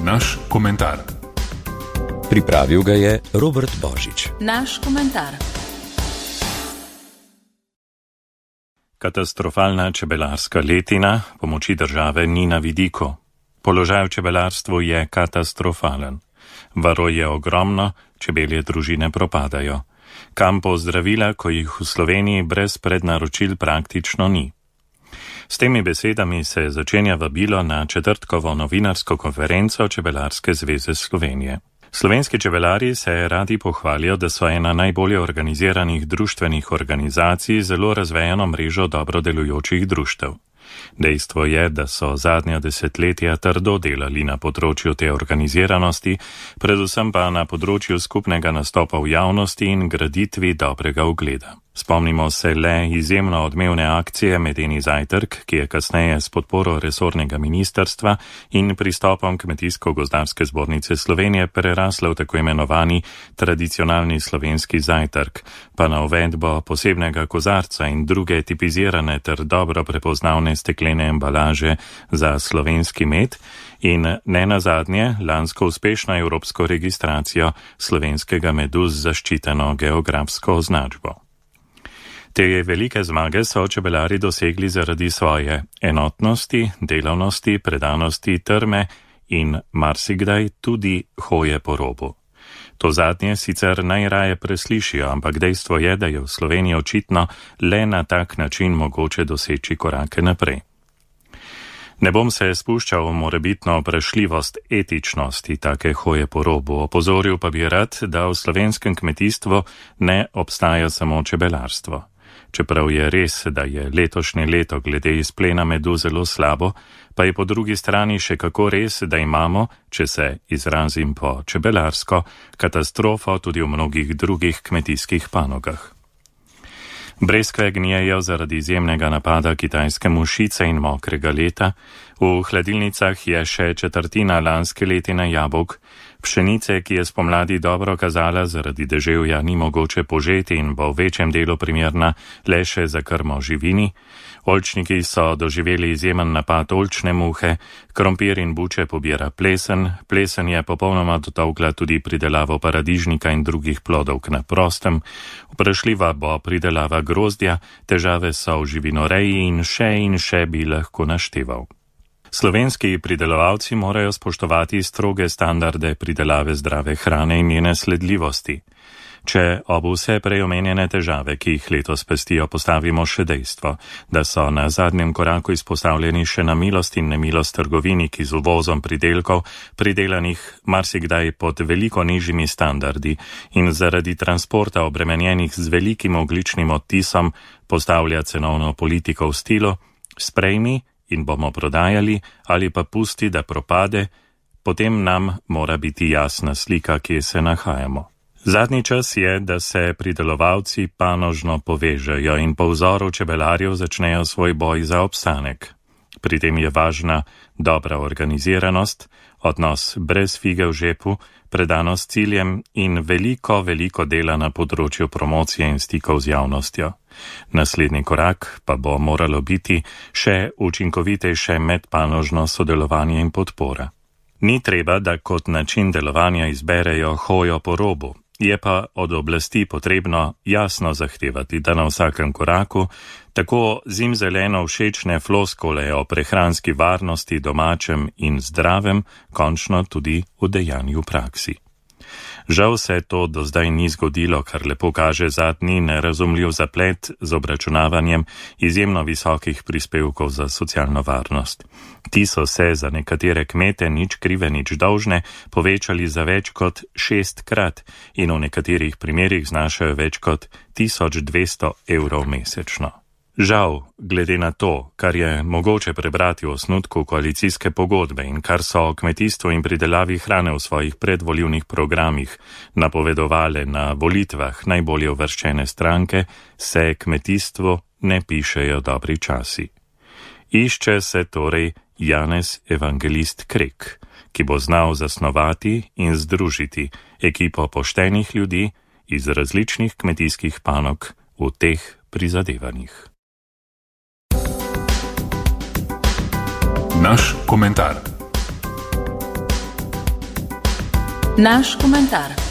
Naš komentar. Pripravil ga je Robert Božič. Naš komentar. Katastrofalna čebelarska letina pomoči države ni na vidiku. Položaj v čebelarstvu je katastrofalen. Varov je ogromno, čebelje družine propadajo. Kampov zdravila, ko jih v Sloveniji brez prednaročil praktično ni. S temi besedami se začenja vabilo na četrtkovo novinarsko konferenco Čebelarske zveze Slovenije. Slovenski čebelari se radi pohvalijo, da so ena najbolje organiziranih društvenih organizacij z zelo razvejano mrežo dobro delujočih društev. Dejstvo je, da so zadnja desetletja trdo delali na področju te organiziranosti, predvsem pa na področju skupnega nastopa v javnosti in graditvi dobrega ugleda. Spomnimo se le izjemno odmevne akcije Medeni zajtrk, ki je kasneje s podporo resornega ministrstva in pristopom Kmetijsko-gozdarske zbornice Slovenije prerasla v tako imenovani tradicionalni slovenski zajtrk, pa na uvedbo posebnega kozarca in druge tipizirane ter dobro prepoznavne steklene embalaže za slovenski med in ne nazadnje lansko uspešno evropsko registracijo slovenskega medu z zaščiteno geografsko označbo. Te velike zmage so čebelari dosegli zaradi svoje enotnosti, delavnosti, predanosti, trme in marsikdaj tudi hoje po robu. To zadnje sicer najraje preslišijo, ampak dejstvo je, da je v Sloveniji očitno le na tak način mogoče doseči korake naprej. Ne bom se spuščal v morebitno vprašljivost etičnosti take hoje po robu, opozoril pa bi rad, da v slovenskem kmetijstvu ne obstaja samo čebelarstvo. Čeprav je res, da je letošnje leto glede izplena medu zelo slabo, pa je po drugi strani še kako res, da imamo, če se izrazim po čebelarsko, katastrofo tudi v mnogih drugih kmetijskih panogah. Breskve gnijejo zaradi izjemnega napada kitajske mušice in mokrega leta, v hladilnicah je še četrtina lanske letine jabolk, pšenice, ki je spomladi dobro kazala, zaradi deževja ni mogoče požeti in bo v večjem delu primerna le še za krmo živini, oljčniki so doživeli izjemen napad oljčne muhe, krompir in buče pobira plesen, plesen je popolnoma dotolkla tudi pridelavo paradižnika in drugih plodov na prostem, vprašljiva bo pridelava grozdja, težave so v živinoreji in še bi lahko našteval. Slovenski pridelovalci morajo spoštovati stroge standarde pridelave zdrave hrane in njene sledljivosti. Če ob vse preomenjene težave, ki jih letos pestijo, postavimo še dejstvo, da so na zadnjem koraku izpostavljeni še na milost in nemilost trgovini, ki z uvozom pridelkov, pridelanih marsikdaj pod veliko nižjimi standardi in zaradi transporta obremenjenih z velikim ogljičnim odtisom, postavlja cenovno politiko v stilu sprejmi in bomo prodajali ali pa pusti, da propade, potem nam mora biti jasna slika, kje se nahajamo. Zadnji čas je, da se pridelovalci panožno povežejo in po vzoru čebelarjev začnejo svoj boj za obstanek. Pri tem je važna dobra organiziranost, odnos brez fige v žepu, predanost ciljem in veliko dela na področju promocije in stikov z javnostjo. Naslednji korak pa bo moralo biti še učinkovitejše medpanožno sodelovanje in podpora. Ni treba, da kot način delovanja izberejo hojo po robu. Je pa od oblasti potrebno jasno zahtevati, da na vsakem koraku tako zimzeleno všečne floskole o prehranski varnosti, domačem in zdravem končno tudi udejanju v praksi. Žal se to do zdaj ni zgodilo, kar lepo kaže zadnji nerazumljiv zaplet z obračunavanjem izjemno visokih prispevkov za socialno varnost. Ti so se za nekatere kmete nič krive, nič dolžne povečali za več kot 6-krat in v nekaterih primerih znašajo več kot 1200 evrov mesečno. Žal, glede na to, kar je mogoče prebrati v osnutku koalicijske pogodbe in kar so o kmetijstvu in pridelavi hrane v svojih predvolilnih programih napovedovale na volitvah najbolje uvrščene stranke, se kmetijstvu ne pišejo dobri časi. Išče se torej Janez Evangelist Krek, ki bo znal zasnovati in združiti ekipo poštenih ljudi iz različnih kmetijskih panog v teh prizadevanjih. Naš komentar. Naš komentar.